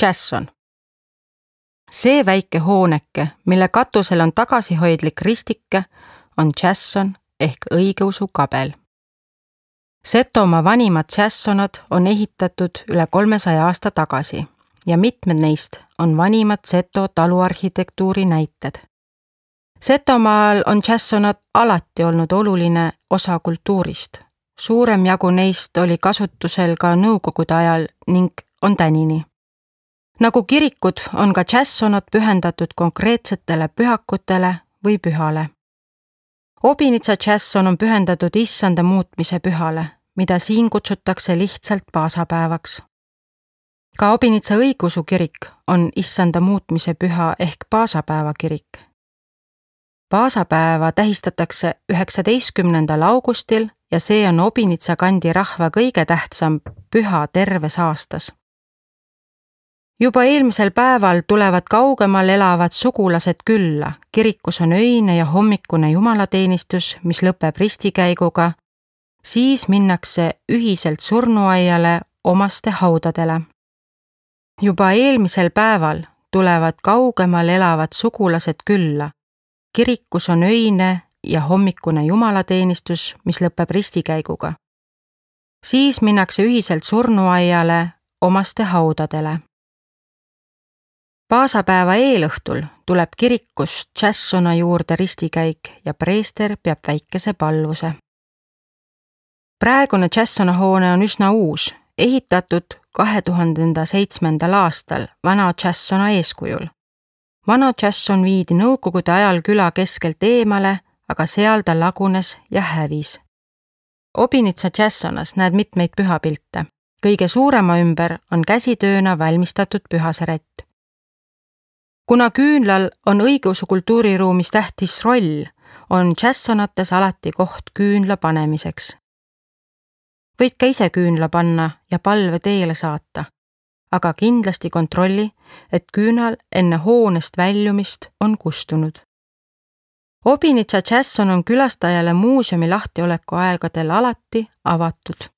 Chasson. See väike hooneke, mille katusel on tagasihoidlik ristike, on Chasson ehk õigeusu kabel. Setomaa vanimad Chassonad on ehitatud üle 300 aasta tagasi ja mitmed neist on vanimad Seto taluarhitektuuri näited. Setomaal on Chassonad alati olnud oluline osa kultuurist. Suurem jagu neist oli kasutusel ka nõukogude ajal ning on tänini. Nagu kirikud on ka Chassonad pühendatud konkreetsetele pühakutele või pühale. Obinitsa Chasson on pühendatud issanda muutmise pühale, mida siin kutsutakse lihtsalt paasapäevaks. Ka Obinitsa õigeusu kirik on issanda muutmise püha ehk paasapäeva kirik. Paasapäeva tähistatakse 19. augustil ja see on Obinitsa kandi rahva kõige tähtsam püha terves aastas. Juba eelmisel päeval tulevad kaugemal elavad sugulased külla, kirikus on öine ja hommikune jumalateenistus, mis lõpeb ristikäiguga, siis minnakse ühiselt surnuaiale omaste haudadele. Juba eelmisel päeval tulevad kaugemal elavad sugulased külla, kirikus on öine ja hommikune jumalateenistus, mis lõpeb ristikäiguga. Siis minnakse ühiselt surnuaiale omaste haudadele. Paasapäeva eelõhtul tuleb kirikus Chassona juurde ristikäik ja preester peab väikese palvuse. Praegune Chassona hoone on üsna uus, ehitatud 2007. aastal vana Chassona eeskujul. Vana Chasson viidi nõukogude ajal küla keskelt eemale, aga seal ta lagunes ja hävis. Obinitsa Chassonas näed mitmeid pühapilte. Kõige suurema ümber on käsitööna valmistatud pühasärett. Kuna küünlal on õigeusu kultuuriruumis tähtis roll, on Chassonates alati koht küünla panemiseks. Võid ka ise küünla panna ja palve teele saata, aga kindlasti kontrolli, et küünal enne hoonest väljumist on kustunud. Obinitsa Chasson on külastajale muuseumi lahtioleku aegadel alati avatud.